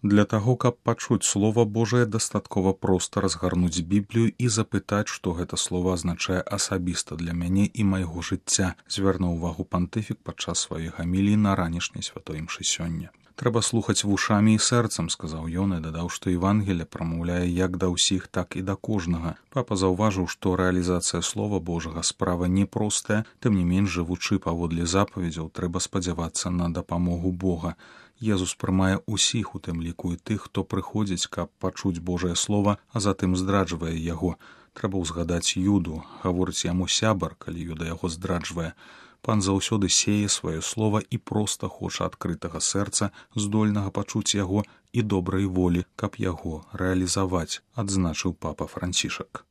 Для таго, каб пачуць Слова Божае, дастаткова проста разгарнуць Біблію і запытаць, што гэта слова азначае асабіста для мяне і майго жыцця, звярнуў увагу пантыфік падчас сваёй гаміліі на ранішняй святой імшы сёння. Трэба слухаць вушамі і сэрцам, сказаў ён і дадаў, што Евангелие прамаўляе як да ўсіх, так і да кожнага. Папа заўважыў, што рэалізацыя Слова Божага справа непростая, тым не менш, жывучы паводле запаведзяў, трэба спадзявацца на дапамогу Бога. Езус прымае ўсіх, у тым ліку і тых, хто прыходзіць, каб пачуць Божае Слова, а затым здраджвае яго. Трэба ўзгадаць Юду, гаворыць яму сябар, калі Юда яго здраджвае. Пан заўсёды сее сваё слова і проста хоча адкрытага сэрца, здольнага пачуць яго і добрай волі, каб яго рэалізаваць, адзначыў папа Францішак.